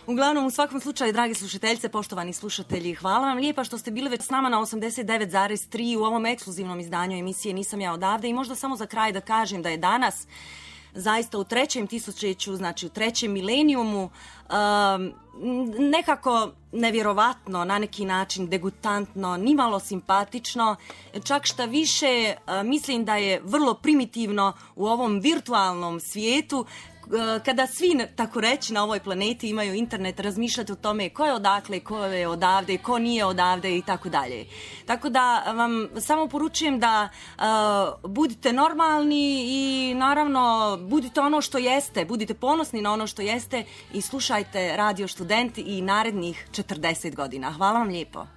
Uglavnom, u svakom slučaju, dragi slušateljice, poštovani slušatelji, hvala vam lijepa što ste bili već s nama na 89,3 u ovom ekskluzivnom izdanju emisije Nisam ja odavde. I možda samo za kraj da kažem da je danas zaista u trećem tisućeću, znači u trećem milenijumu, nekako nevjerovatno, na neki način degutantno, nimalo simpatično, čak šta više mislim da je vrlo primitivno u ovom virtualnom svijetu, kada svi, tako reći, na ovoj planeti imaju internet, razmišljati o tome ko je odakle, ko je odavde, ko nije odavde i tako dalje. Tako da vam samo poručujem da budite normalni i naravno budite ono što jeste, budite ponosni na ono što jeste i slušajte Radio Student i narednih 40 godina. Hvala vam lijepo.